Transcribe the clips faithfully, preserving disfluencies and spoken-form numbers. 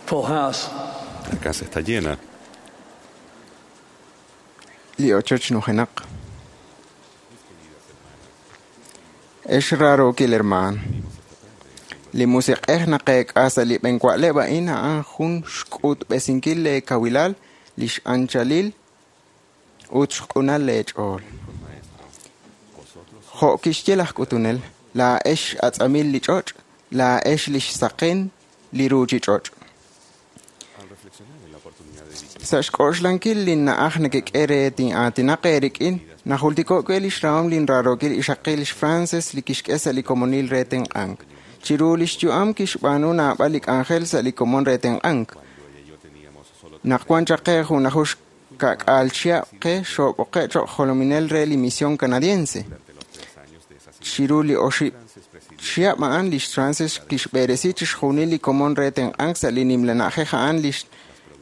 Full house. La casa está llena. Li ochoch nujenaq. Ex raarookil hermaan. Li musiq'ej naqeek'a sa' li b'enwa'leb' a'in a'an jun xk'utb'esinkil leekawilal, lix anchalil ut xq'unal leech'ool. Jo' kixye laj k'utunel, laa'ex atz'amil li ch'och', laa'ex lix saqen li ruuchich'och'. Al reflexionar en la oportunidad de dirigir Sa' xk'oxlankil linna'aj nekek'e re tin'aatinaq eerik'in, najultiko' we lix rahom linraarookil ixaqil Frances li kixk'e sa' li komonil re tenq'ank. Chiru lix yu'am kixb'aanu naab'al li k'anjel sa' li komon re tenq'ank. cuando ella y yo teníamos solo Naq wan chaq qe junlaju xka'k'aal chihab' qe xoob'oqe' cho'q jolominel re li misión canadiense. durante los tres años de esa Chiru li oxib' Frances presidió chihab' a'an lix Frances kixb'eresi chixjunil li komon re tenq'ank sa' li nimla na'ajej a'an lix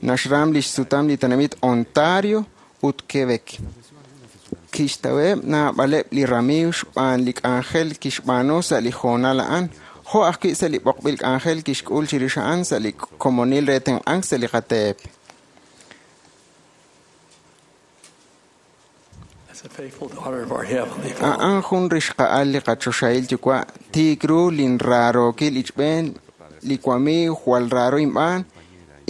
naxram lix sutam li tenamit Ontario ut Quebec. Kixtaweb' naab'aleb' li ramiiw xb'aan li k'anjel kixb'aanu sa' li hoonal a'an, jo' ajwi' sa' li b'oqb'il k'anjel kixk'ul chirix a'an sa' li komonil re tenq'ank sa' li qateep. As a faithful daughter of our Heavenly Father. A'an jun rixqa'al li qachoxahil yuwa' tiik ru linraarookil ichb'een li wamiiw jwal raaro inb'aan,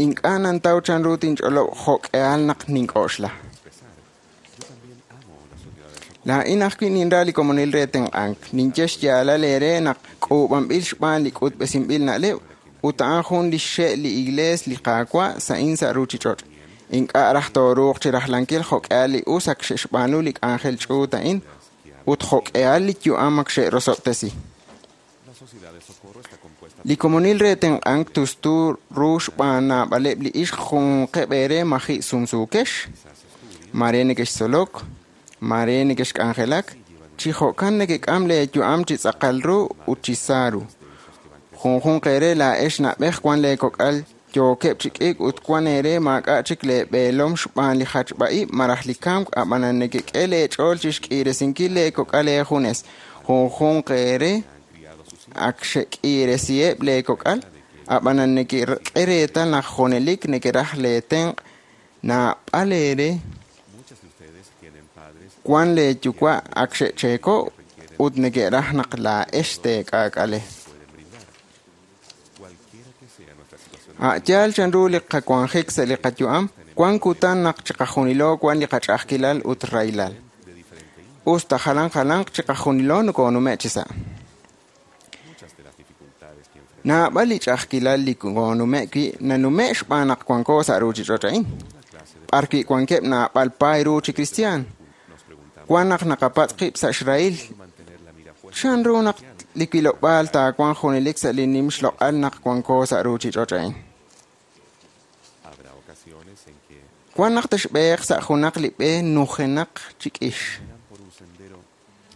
ink'a' nantaw chanru tinch'olob' jo'k'ehal naq nink'oxla. expresar. Yo también amo la sociedad de socorro. Laa'in ajwi' ninra li komonil re tenq'ank. Ninye xyaalal eere naq k'uub'anb'il xb'aan li k'utb'esinb'il na'leb' ut a'an jun li xxe' li iglees li Qaawa' sa'in sa' ruuchich'och'. Ink'a' raj tooruuq chi rajlankil jo'k'ehal li us ak xe'xb'aanu li k'anjel ch'uut a'in ut jo'k'ehal li yu'am ak xe'rosob'tesi. La sociedad de socorro está compuesta Li komonil re tenq'ank tustu ru xb'aan naab'aleb' li ixq junqeb' eere maji' sumsuukex. quizás estudian Mare nekextzolok, mare nekexk'anjelak, chi jo'kan nekek'am leeyu'am chi tz'aqal ru ut chi sa ru. de hijos que van Junjunq eere laa'ex na'b'ej wan leekok'al yookeb' chi k'iik ut wan eere maak'a' chik leeb'eelom xb'aan li jachb'a'ib' malaj li kamk ab'anan nekek'e leech'ool chi xk'iiresinkil leekok'al eejunes. Junjunq eere han criado sus hijos ak xek'iiresiheb' leekok'al ab'anan nekek'e reetal naq junelik nekeraj leetenq' naab'al eere Muchas de ustedes tienen padres wan leeyuwa' ak xe'cheeko' ut neke'raj naq laa'ex teek'aak'ale. pueden brindar. Cualquiera que sea nuestra situación A' yaal chanru li qawanjik sa' li qayu'am, wan kutan naq chiqajunilo wan li qach'a'ajkilal ut rahilal. de diferente índole, Usta jalan jalanq chiqajunilo nokonume' chi sa'. muchas de las dificultades que enfrentamos Naab'al li ch'a'ajkilal li konume' wi' nanume' xb'aan naq wanko sa' ruuchich'och' a'in, toda clase de b'arwi' wankeb' naab'al paay ru chi kristiaan. nos preguntamos Wan naq naqapatz' qib' sa' xrahil cómo mantener la mira puesta chanru naq li wilob'aal taawanq junelik sa' li nim xloq'al naq wanko sa' ruuchich'och' a'in. Habrá ocasiones en que Wan naq texb'eeq sa' junaq li b'e nujenaq chi k'ix. caminarán por un sendero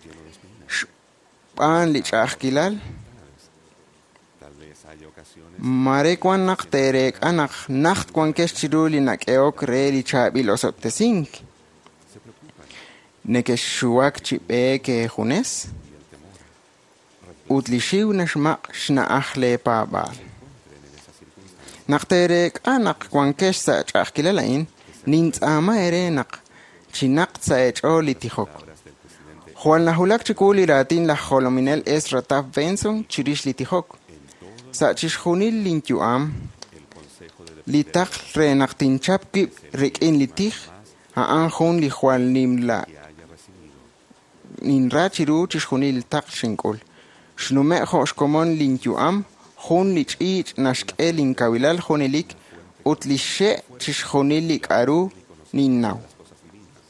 lleno de espinas. Xb'aan li ch'a'ajkilal, Dificultades. Tal vez haya ocasiones mare wan naq teereek'a naq najt wankex chiru li nak'ehok re li chaab'il osob'tesink. se preocupan Nekexxuwak chi b'eek eejunes y el temor reemplaza ut li xiw naxmaq' xna'aj leepaab'aal. encuentren en esas circunstancias Naq teereek'a naq wankex sa' ch'a'ajkilal a'in, nintz'aama eere naq chinaq sa' eech'ool li tijok. palabras del presidente Jwal najulak chiwu li raatin laj jolominel Ezra Taft Benson chirix li tijok. en todo Sa' chixjunil linyu'am, el consejo de li depender taql re naq tinchap wib' rik'in li tij, a'an jun li jwal nimla que haya recibido ninra chiru chixjunil li taql xink'ul. Xnume' jo' xkomon linyu'am, jun li ch'iich' naxk'e linkawilal junelik ut li xe' chixjunil li k'aru ninnaw. las cosas divinas.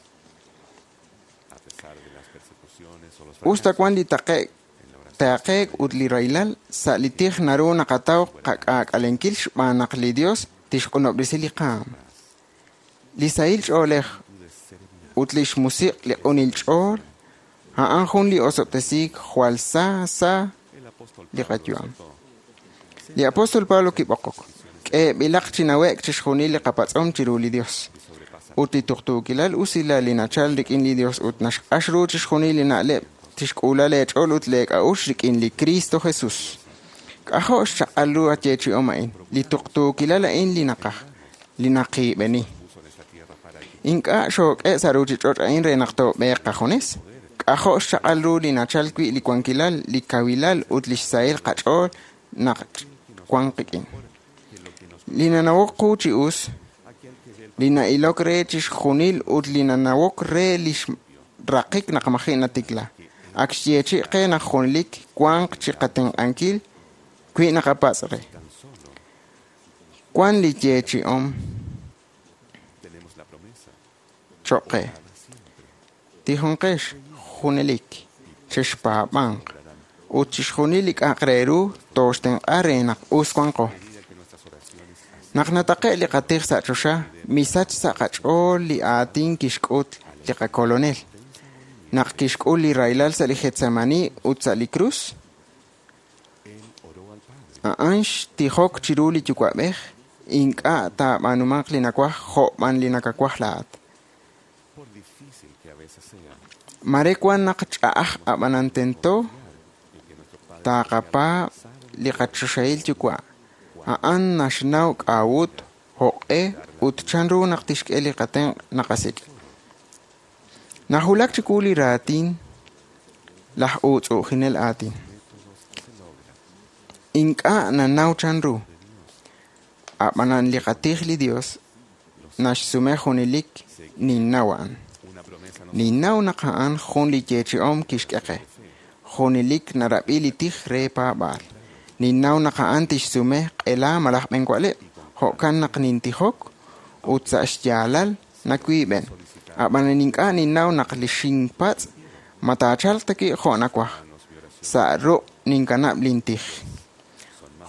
A pesar de las persecuciones o los Usta fracasos wan li taqe'k en la oración taaqeek ut li rahilal, sa' li tij naru naqataw qak'aak'alenkil xb'aan naq li Dios tixq'unob'resi li qaam. Li sahil ch'oolej de serenidad ut lix musiq' li q'unil ch'ool, a'an jun li osob'tesiik jwal sa sa el apóstol li Pablo qayu'am. exhortó, Li apóstol Pablo kib'oqok, k'eeb'ilaq chi nawe'k chixjunil li qapatz'om chiru li Dios. y sobrepasa Ut li tuqtuukilal usilal li nachal rik'in li Dios ut naxq'ax ru chixjunil li na'leb' tixk'uula leech'ool ut leek'a'uxl rik'in li Cristo Jesus. K'ajo' xchaq'al ru ayeechi'om a'in, li tuqtuukilal a'in li naqaj, li naqiib'eni. Puso en esta tierra para que Ink'a' xook'e sa' ruuchich'och' a'in re naq toob'eeq qajunes. K'ajo' xchaq'al ru li nachal wi' li wankilal, li kawilal ut li xsahil qach'ool naq wank qik'in. que lo que nos Li nanawok qu chi us, aquel que ve el li na'ilok re chixjunil ut li nanawok re li xraqik naq maji' natikla. Ak xyeechi' qe naq junelik wanq chi qatenq'ankil wi naqapatz' re. tan solo Wan li yeechi'om tenemos la promesa cho'q qe. dada siempre Tijonqex junelik, chexpaab'anq ut chixjunil li k'a'aq re ru tooxtenq'a re naq us wanqo. a medida que nuestras oraciones ascienden Naq nataqe' li qatij sa' choxa, misach sa' qach'ool li aatin kixk'ut li qakolonel. Naq kixk'ul li rahilal sa' li Getsemani ut sa' li krus, él oró al Padre a'an xtijok chiru li Yuwa'b'ej, ink'a' taab'aanumanq li nawaj jo' b'an li nakawaj laa'at. por difícil que a veces sea Mare wan naq ch'a'aj ab'anan tento en que nuestro Padre taqapaab' li qachoxahil Yuwa'. A'an naxnaw k'a'ut, jo'q'e ut chanru naq tixk'e li qatenq' naqasik'. Najulak chiwu li raatin laj uutz'u'ujinel aatin. métodos se logra Ink'a' nanaw chanru. Ab'anan li qatij li Dios naxsume junelik ninnaw a'an. una promesa nos Ninnaw naq a'an jun li yeechi'om kixk'e qe. Junelik narab'i li tij re paab'aal. Ninnaw naq a'an tixsume q'ela malaj b'enwa'leb'. Jo'kan naq nintijok ut sa' xyaalal nawiib'en. Ab'anan ink'a' ninnaw naq li xinpatz' ma taachalq ta wi' jo' nawaj. Sa' ruq' ninkanab' lintij.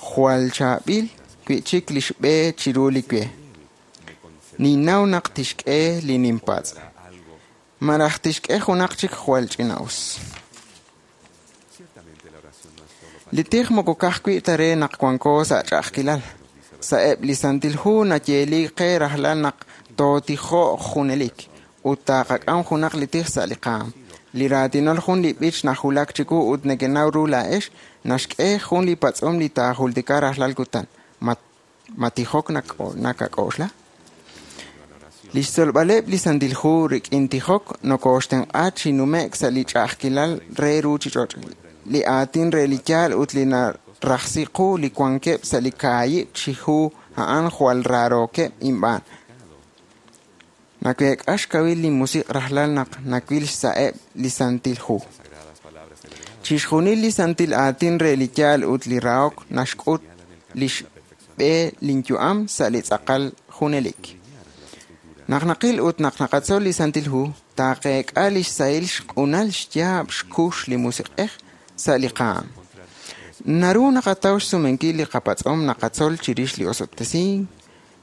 Jwal chaab'il wi'chik li xb'e chiru li we. me concederá Ninnaw naq tixk'e li ninpatz'. algo Malaj tixk'e junaq chik jwal ch'ina'us. ciertamente la oración no es solo para Li tij moko ka'ajwi' ta re naq wanko sa' ch'a'ajkilal. Sa'eb' li santil hu nayeeli qe rajlal naq tootijo'q junelik ut taqak'am junaq li tij sa' li qaam. Li raatinol jun li b'ich najulak chiwu ut nekenaw ru laa'ex naxk'e jun li patz'om li taajultika rajlal kutan. Ma, ma tijok nak'o- nakak'oxla? Li xtzolb'aleb' li santil hu rik'in tijok nokooxtenq'a chi nume'k sa' li ch'a'ajkilal re ruuchich'och'. Li aatin re li yaal ut li narajsi qu li wankeb' sa' li kaahib' chi hu a'an jwal raarookeb' inb'aan. Naweek'a xkawil linmusiq' rajlal naq nawil xsa'eb' li santil hu. las sagradas palabras del legado Chixjunil li santil aatin re li yaal ut li rahok naxk'ut li xb'e linyu'am sa' li tz'aqal junelik. Naq naqil ut naq naqatzol li santil hu, taqeek'a li xsahil xq'unal xyaab' xkux li musiq'ej sa' li qaam. Naru naqataw xsumenkil li qapatz'om naqatzol chirix li osob'tesink,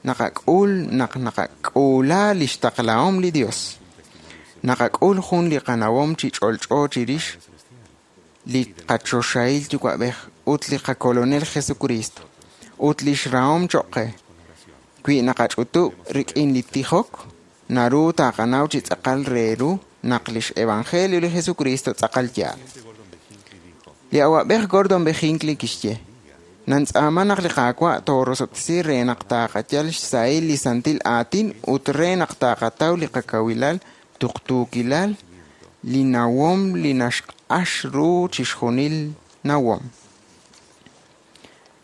naqak'ul naq naqak'uula li xtaqlahom li Dios. Naqak'ul jun li qanawom chi ch'olch'o chirix li qachoxahil Yuwa'b'ej ut li qakolonel Jesucristo ut li xrahom choq' qe. Wi naqach'utub' rik'in li tijok, naru taqanaw chi tz'aqal re ru naq lix evangelio li Jesucristo tz'aqal yaal. Gordon B. Hinckley dijo Li awa'b'ej Gordon B. Hinckley kixye, Nantz'aama naq li Qaawa' toorosob'tesi re naq taqayal xsahil li santil aatin ut re naq taqataw li qakawilal, tuqtuukilal, li nawom li naxq'ax ru chixjunil nawom.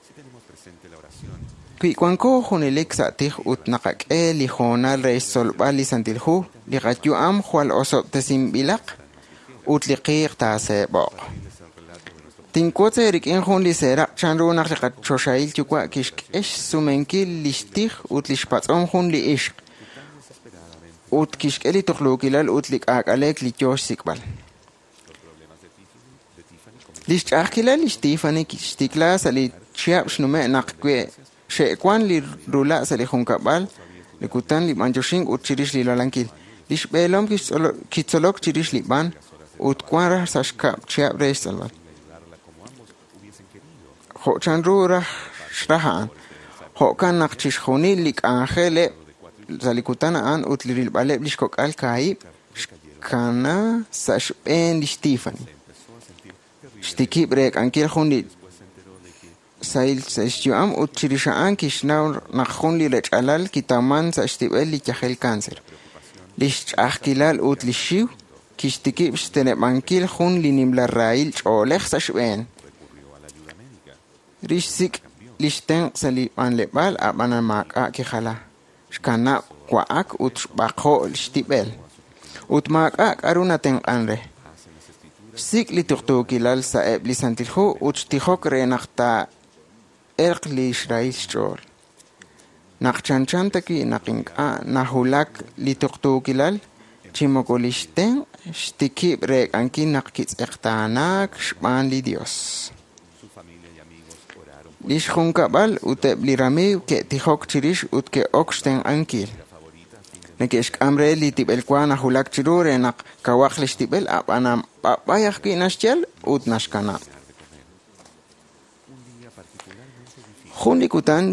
si tenemos presente la oración Wi wanko junelik sa' tij ut naqak'e li hoonal re xtzolb'al li santil hu, li qayu'am jwal osob'tesinb'ilaq ut li qiiq taaseeb'oq. es el relato de nuestro Tinwotz eerik'in jun li seeraq' chanru naq li qachoxahil Yuwa' kixk'e xsumenkil li xtij ut li xpatz'om jun li ixq desesperadamente ut kixk'e li tuqluukilal ut li k'aak'aleek li yoo xsik'b'al. los problemas de Tiffany, de Tiffany comenzaron Li xch'a'ajkilal li xTiffany xtikla sa' li chihab' xnume' naq we xe'wan li rula' sa' li junkab'al, li kutan li b'anyoxink ut chirix li lalankil. Li xb'eelom kixtz'olo- kitzolok chirix li b'an ut wan raj sa' xkab' chihab' re xtz'olb'al. ayudarla como ambos hubiesen querido Jo' chanru raj xraj a'an. Jo'kan naq chixjunil li k'anjeleb' sa' li kutan a'an ut li rilb'aleb' li xkok'al kaahib' xkana sa' xb'een li xTiffany. se empezó a sentir terrible Xtikib' reek'ankil jun li después se enteró de que sahil sa' xyu'am ut chirix a'an kixnaw naq jun li rech'alal kitawman sa' xtib'el li yajel cáncer. Lix ch'a'ajkilal ut li xiw kixtikib' xteneb'ankil jun li nimla rahil ch'oolej sa' xb'een. Rixsik' lix tenq' sa' li b'anleb'aal ab'an maak'a' kijala. Xkanab' wa'ak ut xb'aqo' xtib'el. Ut maak'a' k'aru natenq'an re. Xsik' li tuqtuukilal sa'eb' li Santil Hu ut xtijok re naq taa'elq li xrahil xch'ool. Naq chanchan ta wi' naq ink'a' nahulak li tuqtuukilal, chi moko lix tenq' xtikib' reek'ankil naq kitz'eqtaanaak xb'aan li Dios. Su familia y amigos oraron por Lix junkab'al ut eb' li ramiiw ke'tijok chirix ut ke'ok xtenq'ankil. la favorita a fin de Neke'xk'am re li tib'elwa nahulak chiru re naq kawaq lix tib'el ab'an b'ab'ay ajwi' naxyal ut naxkanab'. terminar de comer. Un día particularmente difícil, Jun li kutan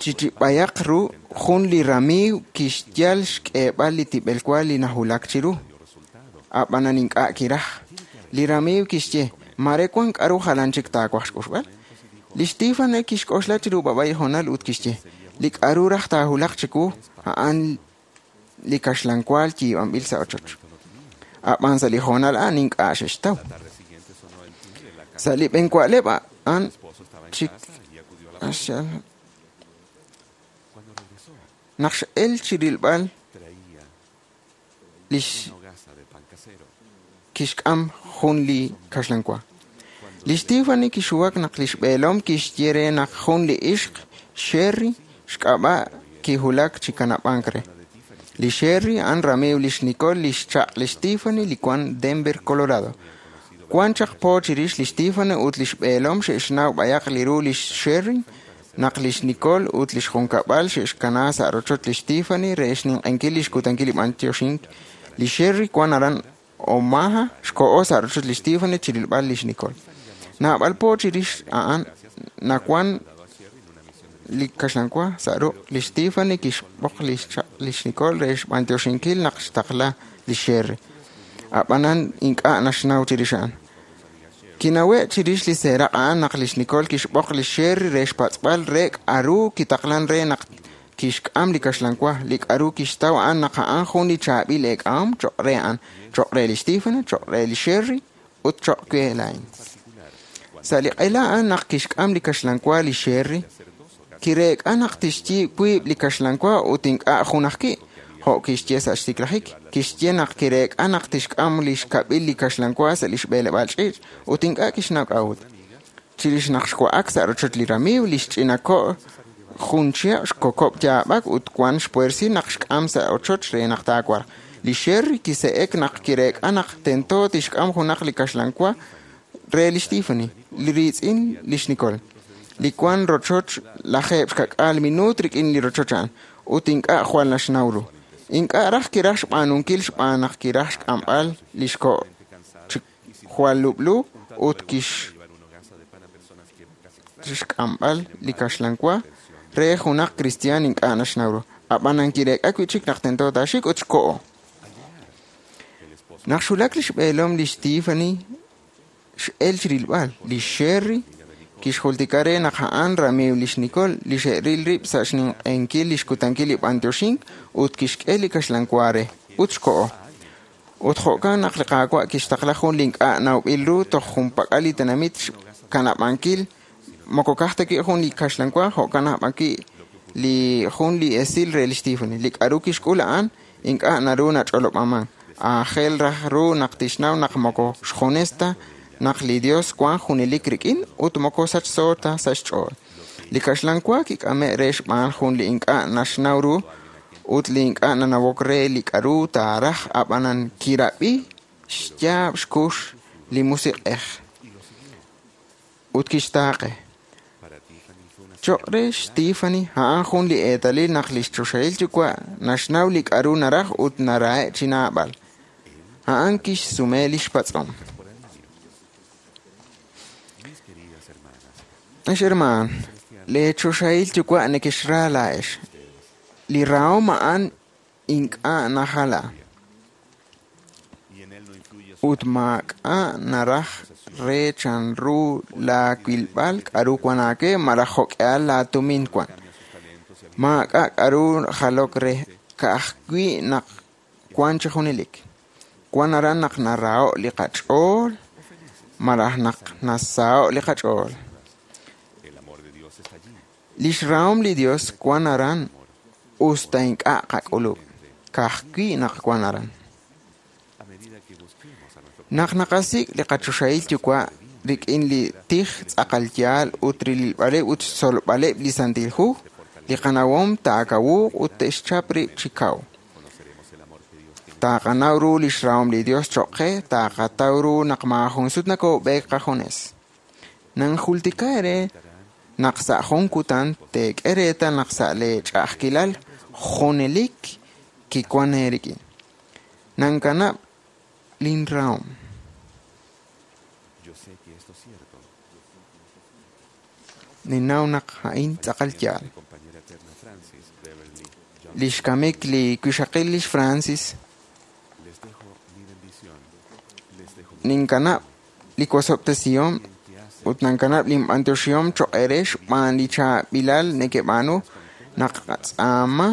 chichib'ayaq ru jun li ramiiw kixyal xk'eeb'al li tib'elwa li nahulak chiru. dio resultado. Ab'anan ink'a' kiraj. Li ramiiw kixye, mare wan k'aru jalan chik taawaj xk'uxb'al. Li Tiffany kixk'oxla chiru b'ab'ay hoonal ut kixye, li k'aru raj taahulaq chiwu a'an li kaxlanwaal yiib'anb'il sa' ochoch. Ab'an sa' li hoonal a'an ink'a' xe'xtaw. La tarde siguiente sonó el timbre en la casa. Sa' li b'enwa'leb' a'an Su esposo estaba en chik casa y acudió a la puerta. axal- Cuando regresó, naq x'el chirilb'al traía lix una hogaza de pan casero. kixk'am jun li kaxlanwa. Li Tiffany kixuwak naq lix b'eelom kixye re naq jun li ixq Sherry xk'ab'a' kihulak chi kanab'ank re. Li Sherry a'an ramiiw lix Nicole lix chaq' lix Tiffany li wan Denver, Colorado. Wan chaq po chirix lix Tiffany ut lix b'eelom xe'xnaw b'ayaq li ru lix Sherry naq lix Nicole ut lix junkab'al xe'xkana sa' rochoch lix Tiffany re xninq'enkil lix kutankil li b'antioxink. Li Sherry wan aran Omaha xko'o sa' rochoch lix Tiffany chirilb'al lix Nicole. Naab'al po chirix a'an nawan li kaxlanwa sa' ruq' lix Tiffany kixb'oq lix chaq' lix Nicole re xb'antioxinkil naq xtaqla li Sherry. Ab'anan ink'a' naxnaw chirix a'an. Kinawe' chirix li seeraq' a'an naq lix Nicole kixb'oq li Sherry re xpatz'b'al re k'aru kitaqlan re naq kixk'am li kaxlanwa li k'aru kixtaw a'an naq a'an jun li chaab'il eek'ahom cho'q re a'an, cho'q re lix Tiffany, cho'q re li Sherry ut cho'q we laa'in. Sa' li q'ela a'an naq kixk'am li kaxlanwa li Sherry, kireek'a naq tixyiib' wiib' li kaxlanwa ut ink'a' jun ajwi', jo' kixye sa' xtiklajik. Kixye naq kireek'a naq tixk'am li xkab'il li kaxlanwa sa' li xb'eleb'aal ch'iich' ut ink'a' kixnaw k'a'ut. Chirix naq xwa'ak sa' rochoch li ramiiw, li xch'ina ko' jun chihab' xkokob' yaab'ak ut wan xpuersi naq xk'am sa' ochoch re naq taawarq. Li Sherry kise'ek naq kireek'a naq tento tixk'am junaq li kaxlanwa re lix Tiffany, li riitz'in lix Nicole. Li wan rochoch lajeeb' xkak'aal minuut rik'in li rochoch a'an ut ink'a' jwal naxnaw ru. Ink'a' raj kiraj xb'aanunkil xb'aan naq kiraj xk'amb'al lix ko' chi jwal lub'lu ut kix Llevar una hogaza de pan a personas que eran casi extrañas. xk'amb'al li kaxlanwa re junaq kristiaan ink'a' naxnaw ru. Ab'anan kireek'a wi' chik naq tento taaxik ut xko'o. El esposo Naq xulak lix b'eelom lix Tiffany x'el chirilb'al li Sherry kixjultika re naq a'an ramiiw lix Nicole li xe'ril rib' sa' xninq'enkil lix kutankil li b'antioxink ut kixk'e li kaxlanwa re ut xko'o. Ut jo'kan naq li Qaawa' kixtaqla jun li ink'a' nawb'il ru toj junpak'al li tenamit xkanab'ankil moko kaj ta wi' jun li kaxlanwa jo'kan aj b'an wi' li jun li esil re lix Tiffany. Li k'aru kixk'ul a'an ink'a' naru nach'olob'aman. Aajel raj ru naq tixnaw naq moko xjunes ta naq li Dios wan junelik rik'in ut moko sachso ta sa' xch'ool. Li kaxlanwa kik'ame' re xb'aan jun li ink'a' naxnaw ru ut li ink'a' nanawok re li k'aru taaraj ab'anan kirab'i xyaab' xkux li musiq'ej ut kixtaaqe. para Tiffany fue una Cho'q re xTiffany a'an jun li eetalil naq lix choxahil yuwa' naxnaw li k'aru naraj ut narahe' chi naab'al. A'an kixsume lix patz'om. por alivio. Mis queridas hermanas, Ex hermaan, lee choxahil yuwa' nekexra laa'ex. Li rahom a'an ink'a' najala y en él no influye su ut maak'a' naraj re chanru laawilb'al k'aru wan aawe malaj jo'k'ihal laatumin wan. Maak'a' k'aru jalok re, ka'ajwi' naq wan chi junelik. Wan aran naq naraho' li qach'ool malaj naq nasaho' li qach'ool. El amor de Dios está allí. Lix rahom li Dios wan aran usta ink'a' qak'ulub', ka'ajwi' naq wan aran. A medida que busquemos a nuestro Naq naqasik' li qachoxahil yuwa' rik'in li tij tz'aqal yaal ut rilb'aleb' ut xtzolb'aleb' li Santil Hu, li qanawom taakawuuq ut te'xchap rib' chi kaw. conoceremos el amor que Dios tiene. Taqanaw ru lix rahom li Dios choq' qe, taqataw ru naq maajun sut nakob'eek qajunes. Nanjultika eere naq sa' jun kutan teek'e reetal naq sa' lee ch'a'ajkilal junelik kiwan eerik'in. Nankanab' lin rahom. Yo sé que esto es cierto. Ninnaw naq a'in tz'aqal yaal. Mi compañera eterna Francis Beverly Johnson. Lix kamik li wixaqil lix Francis Les dejo mi bendición. Les dejo mi ninkanab' li wosob'tesihom bien que hace ut nankanab' linb'antioxihom choq' eere xb'aan li chaab'ilal nekeb'aanu naq qatz'aama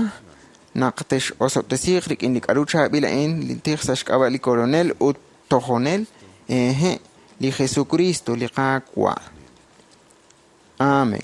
naq tex'osob'tesiiq rik'in li k'aru chaab'il a'in li tij sa' xk'ab'a' li Kolonel ut tojonel ehe li Jesucristo li Qaawa'. Amen.